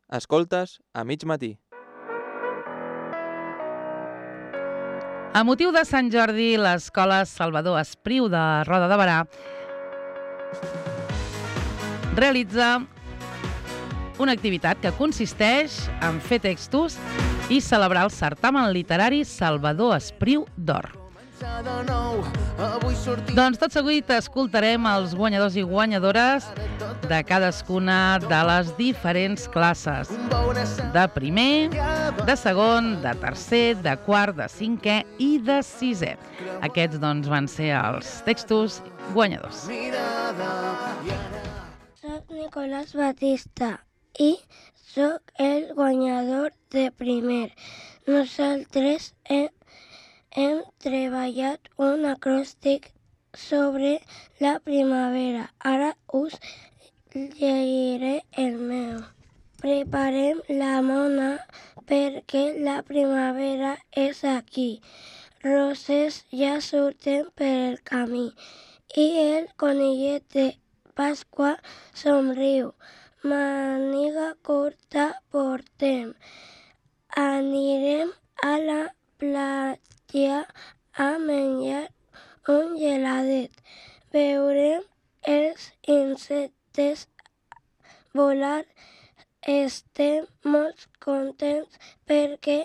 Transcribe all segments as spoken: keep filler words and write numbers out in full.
Escoltes a mig matí. A motiu de Sant Jordi, l'Escola Salvador Espriu de Roda de Berà realitza una activitat que consisteix en fer textos i celebrar el certamen literari Salvador Espriu d'Or. Doncs tot seguit escoltarem els guanyadors i guanyadores de cadascuna de les diferents classes, de primer, de segon, de tercer, de quart, de cinquè i de sisè. Aquests doncs van ser els textos guanyadors. Soc Nicolás Batista i soc el guanyador de primer. Nosaltres hem, hem treballat un acròstic sobre la primavera. Ara us llegiré el meu. Preparem la mona perquè la primavera és aquí. Roses ja surten per el camí i el conillet de Pasqua somriu. Màniga curta portem. Anirem a la platja a menjar un geladet. Veurem els insectes volar. Estem molt contents perquè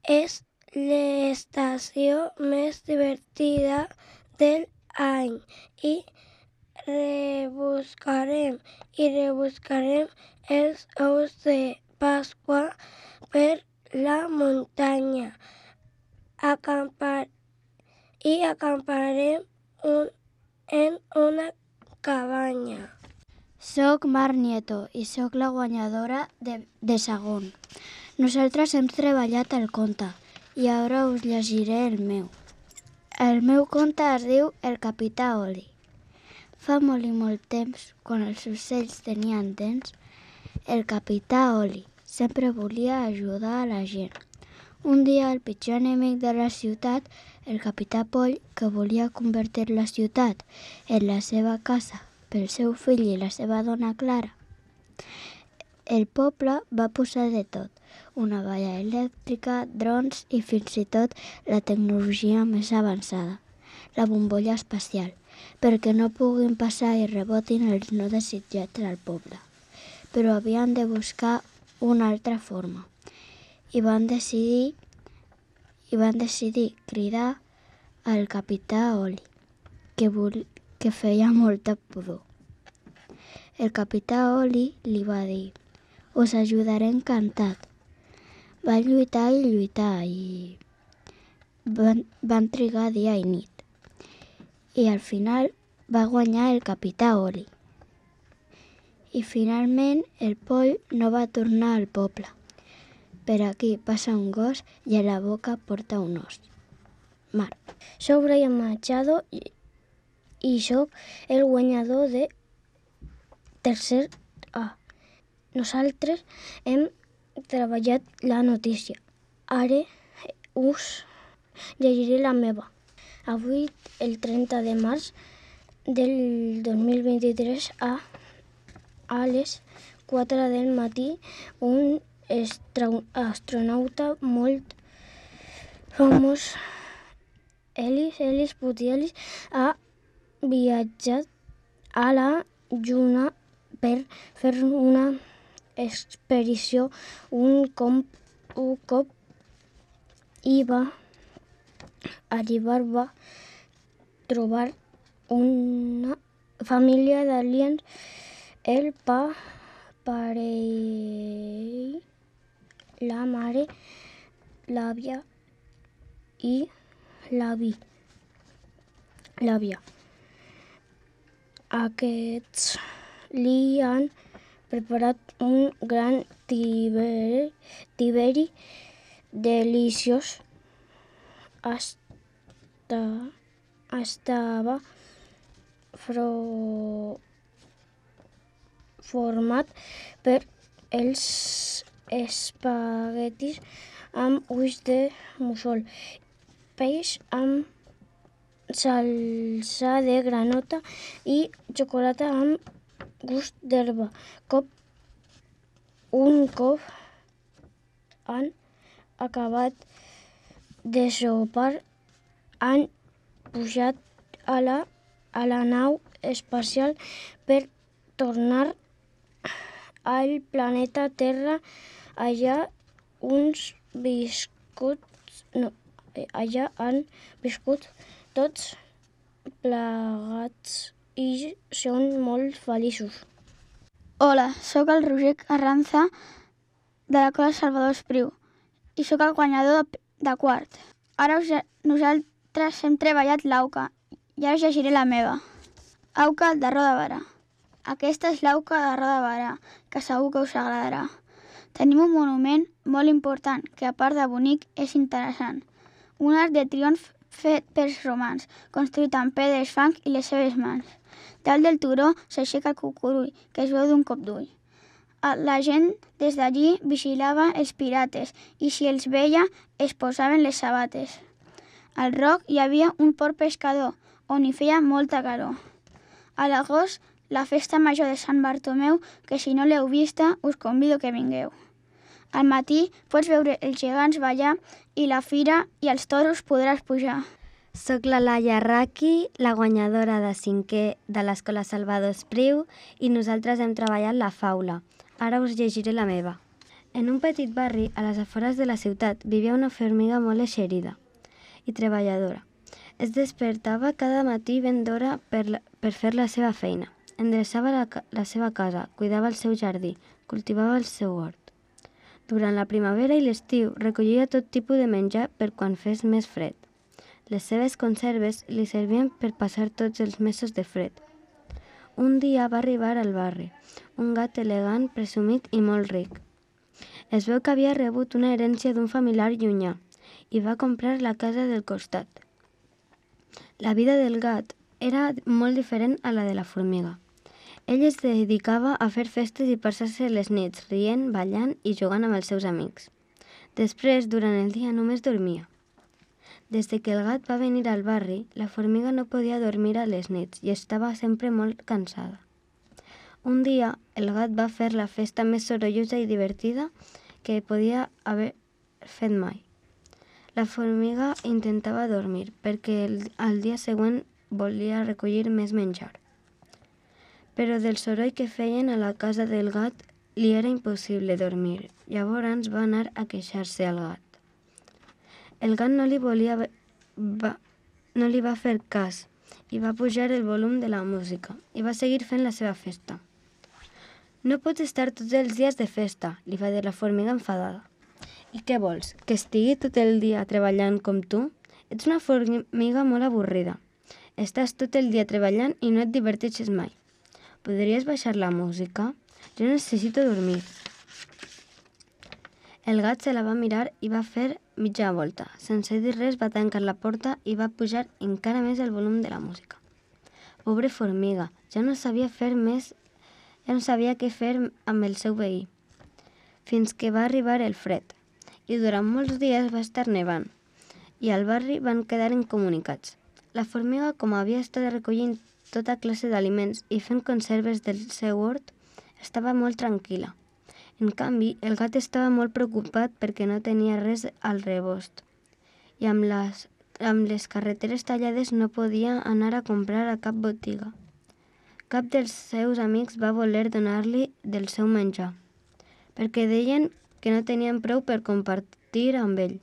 és l'estació més divertida del any i rebuscarem i rebuscarem els ous de Pasqua per la muntanya. Acampar i acamparem un, en una cabanya. Soc Mar Nieto i soc la guanyadora de, de segon. Nosaltres hem treballat el conte i ara us llegiré el meu. El meu conte es diu El capità Oli. Fa molt i molt temps, quan els ocells tenien dents, el capità Oli sempre volia ajudar a la gent. Un dia el pitjor enemic de la ciutat, el capità Poll, que volia convertir la ciutat en la seva casa pel seu fill i la seva dona Clara. El poble va posar de tot, una valla elèctrica, drons i fins i tot la tecnologia més avançada, la bombolla espacial, perquè no puguin passar i rebotin els no desitjats al poble. Però havien de buscar una altra forma i van decidir, i van decidir cridar al capità Oli, que, vol, que feia molta pudor. El capità Oli li va dir: us ajudaré encantat. Va lluitar i lluitar i van, van trigar dia i nit. I al final va guanyar el capità Oli. I finalment el Poll no va tornar al poble. Per aquí passa un gos i a la boca porta un os. Mar. Soc Brian Machado i, i soc el guanyador de tercer A. Nosaltres hem treballat la notícia. Ara us llegiré la meva. Avui, el trenta de març del dos mil vint-i-tres, a, a les quatre del matí, un astronauta molt famós, Elis, Elis Putielis, ha viatjat a la Lluna per fer una expedició. Un cop, un cop hi va arribar, va trobar una família d'aliens. El pa, parell, la mare, l'àvia i l'avi. L'àvia. Aquests li han preparat un gran tiberi, tiberi deliciós. Hasta, estava fro, format per els espaguetis amb ulls de mussol, peix amb salsa de granota i xocolata amb gust d'herba. Cop un cop han acabat de sopar, han pujat a la, a la nau espacial per tornar al planeta Terra. Allà uns viscuts, no, allà han viscut tots plegats i són molt feliços. Hola, sóc el Roger Carranza de la Cola Salvador Espriu i sóc el guanyador de, de quart. Ara us, nosaltres hem treballat l'auca i ara us llegiré la meva. Auca de Roda Barà. Aquesta és l'auca de Roda Barà, que segur que us agradarà. Tenim un monument molt important, que a part de bonic és interessant. Un arc de triomf fet pels romans, construït amb pedres, fang i les seves mans. Dalt del turó s'aixeca el cucurull, que es veu d'un cop d'ull. La gent des d'allí vigilava els pirates i si els veia es posaven les sabates. Al roc hi havia un port pescador, on hi feia molta calor. A l'agost, la festa major de Sant Bartomeu, que si no l'heu vista, us convido que vingueu. Al matí pots veure els gegants ballar i la fira i els toros podràs pujar. Soc la Laia Raqui, la guanyadora de cinquè de l'Escola Salvador Espriu i nosaltres hem treballat la faula. Ara us llegiré la meva. En un petit barri, a les afores de la ciutat, vivia una formiga molt eixerida i treballadora. Es despertava cada matí ben d'hora per, la, per fer la seva feina. Endreçava la, la seva casa, cuidava el seu jardí, cultivava el seu hort. Durant la primavera i l'estiu recollia tot tipus de menjar per quan fes més fred. Les seves conserves li servien per passar tots els mesos de fred. Un dia va arribar al barri un gat elegant, presumit i molt ric. Es veu que havia rebut una herència d'un familiar llunyà i va comprar la casa del costat. La vida del gat era molt diferent a la de la formiga. Ell es dedicava a fer festes i passar-se les nits, rient, ballant i jugant amb els seus amics. Després, durant el dia, només dormia. Des de que el gat va venir al barri, la formiga no podia dormir a les nits i estava sempre molt cansada. Un dia, el gat va fer la festa més sorollosa i divertida que podia haver fet mai. La formiga intentava dormir perquè el, el dia següent volia recollir més menjar. Però del soroll que feien a la casa del gat li era impossible dormir. Llavors va anar a queixar-se al gat. El gat no li, volia, va, no li va fer cas i va pujar el volum de la música i va seguir fent la seva festa. No pots estar tots els dies de festa, li va dir la formiga enfadada. I què vols, que estigui tot el dia treballant com tu? Ets una formiga molt avorrida. Estàs tot el dia treballant i no et diverteixes mai. Podries baixar la música? Jo necessito dormir. El gat se la va mirar i va fer mitja volta. Sense dir res va tancar la porta i va pujar encara més el volum de la música. Pobre formiga, ja no sabia fer més, ja no sabia què fer amb el seu veí. Fins que va arribar el fred. I durant molts dies va estar nevant. I al barri van quedar incomunicats. La formiga, com havia estat recollint tota classe d'aliments i fent conserves del seu hort, estava molt tranquil·la. En canvi, el gat estava molt preocupat perquè no tenia res al rebost i amb les, amb les carreteres tallades no podia anar a comprar a cap botiga. Cap dels seus amics va voler donar-li del seu menjar, perquè deien que no tenien prou per compartir amb ell.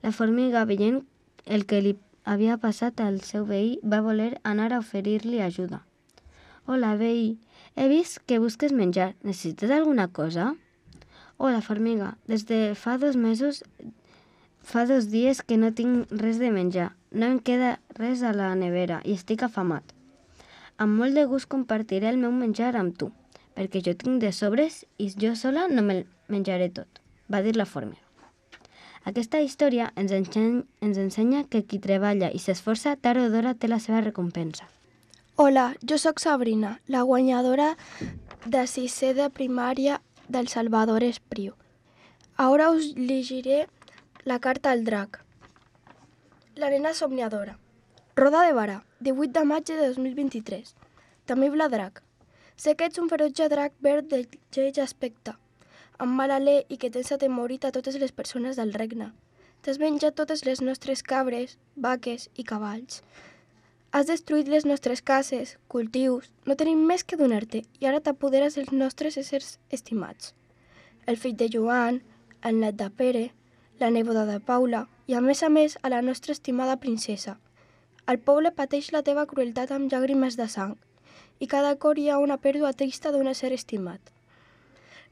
La formiga, veient el que li havia passat al seu veí, va voler anar a oferir-li ajuda. Hola, veí, he vist que busques menjar. Necessites alguna cosa? Hola, formiga, des de fa dos mesos, fa dos dies que no tinc res de menjar. No em queda res a la nevera i estic afamat. Amb molt de gust compartiré el meu menjar amb tu, perquè jo tinc de sobres i jo sola no me'l menjaré tot, va dir la formiga. Aquesta història ens ensenya, ens ensenya que qui treballa i s'esforça tard o d'hora té la seva recompensa. Hola, jo sóc Sabrina, la guanyadora de sisè de primària del Salvador Espriu. Ara us llegiré la carta al drac. La nena somniadora. Roda de Barà, divuit de maig de dos mil vint-i-tres. Temible drac. Sé que ets un ferotge drac verd de lleig aspecte. amb mal alè i que tens atemorit a totes les persones del regne. T'has menjat totes les nostres cabres, vaques i cavalls. Has destruït les nostres cases, cultius, no tenim més que donar-te i ara t'apoderes dels nostres éssers estimats. El fill de Joan, el net de Pere, la neboda de Paula i, a més a més, a la nostra estimada princesa. El poble pateix la teva crueltat amb llàgrimes de sang i cada cor hi ha una pèrdua trista d'un ésser estimat.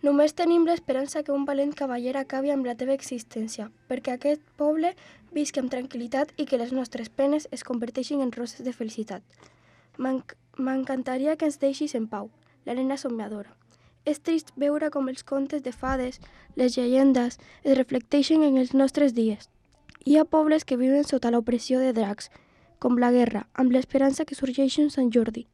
Només tenim l'esperança que un valent cavaller acabi amb la teva existència, perquè aquest poble visqui amb tranquil·litat i que les nostres penes es converteixin en roses de felicitat. M'encantaria que ens deixis en pau, l'Helena somiadora. És trist veure com els contes de fades, les llegendes, es reflecteixen en els nostres dies. Hi ha pobles que viuen sota l'opressió de dracs, com la guerra, amb l'esperança que sorgeixi un Sant Jordi.